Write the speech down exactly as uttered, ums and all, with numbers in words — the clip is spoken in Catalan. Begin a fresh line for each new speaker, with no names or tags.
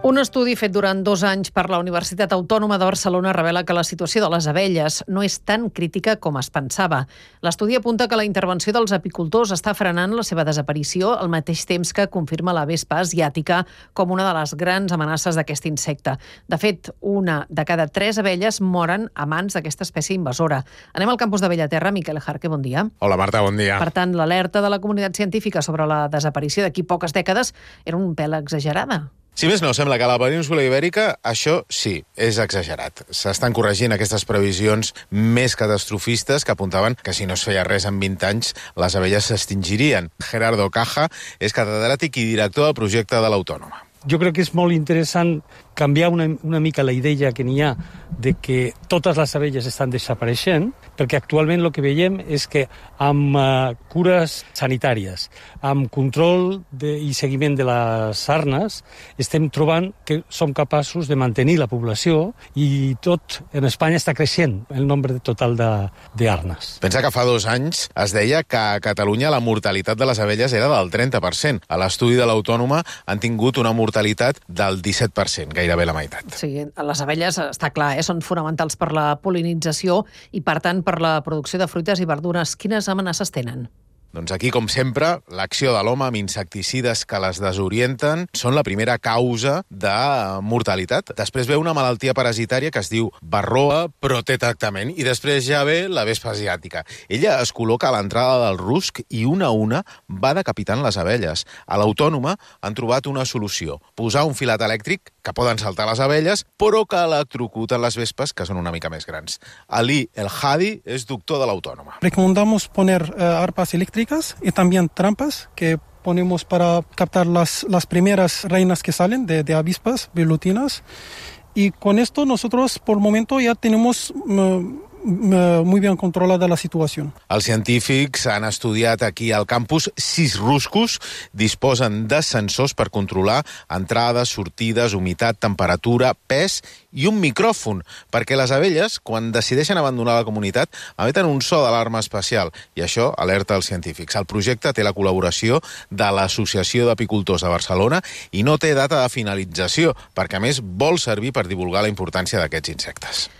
Un estudi fet durant dos anys per la Universitat Autònoma de Barcelona revela que la situació de les abelles no és tan crítica com es pensava. L'estudi apunta que la intervenció dels apicultors està frenant la seva desaparició al mateix temps que confirma la vespa asiàtica com una de les grans amenaces d'aquest insecte. De fet, una de cada tres abelles moren a mans d'aquesta espècie invasora. Anem al campus de Bellaterra. Miquel Jarque, bon dia.
Hola, Marta, bon dia.
Per tant, l'alerta de la comunitat científica sobre la desaparició d'aquí poques dècades era un pèl exagerada.
Si més no, sembla que a la península Ibèrica això sí, és exagerat. S'estan corregint aquestes previsions més catastrofistes que apuntaven que si no es feia res en vint anys, les abelles s'extingirien. Gerardo Caja és catedràtic i director del projecte de l'Autònoma.
Jo crec que és molt interessant canviar una, una mica la idea que n'hi ha de que totes les abelles estan desapareixent, perquè actualment el que veiem és que amb uh, cures sanitàries, amb control de, i seguiment de les arnes, estem trobant que som capaços de mantenir la població i tot en Espanya està creixent el nombre total d'arnes.
Pensa que fa dos anys es deia que a Catalunya la mortalitat de les abelles era del trenta per cent. A l'estudi de l'Autònoma han tingut una mortalitat del disset per cent, gairebé la meitat.
Sí, les abelles, està clar, eh, són fonamentals per la pol·linització i, per tant, per la producció de fruites i verdures. Quines amenaces tenen?
Doncs aquí, com sempre, l'acció de l'home amb insecticides que les desorienten són la primera causa de mortalitat. Després ve una malaltia parasitària que es diu varroa, però té tractament. I després ja ve la vespa asiàtica. Ella es col·loca a l'entrada del rusc i una a una va decapitant les abelles. A l'Autònoma han trobat una solució. Posar un filat elèctric que poden saltar les abelles, però que electrocuten les vespes, que són una mica més grans. Ali El Hadi és doctor de l'Autònoma.
Recomendamos poner uh, arpas eléctricas y también trampas que ponemos para captar las, las primeras reinas que salen de, de avispas velutinas. Y con esto nosotros por el momento ya tenemos uh, muy bien controlada la situació.
Els científics han estudiat aquí al campus sis ruscos, disposen de sensors per controlar entrades, sortides, humitat, temperatura, pes i un micròfon, perquè les abelles, quan decideixen abandonar la comunitat, emeten un so d'alarma especial, i això alerta els científics. El projecte té la col·laboració de l'Associació d'Apicultors de Barcelona i no té data de finalització, perquè a més vol servir per divulgar la importància d'aquests insectes.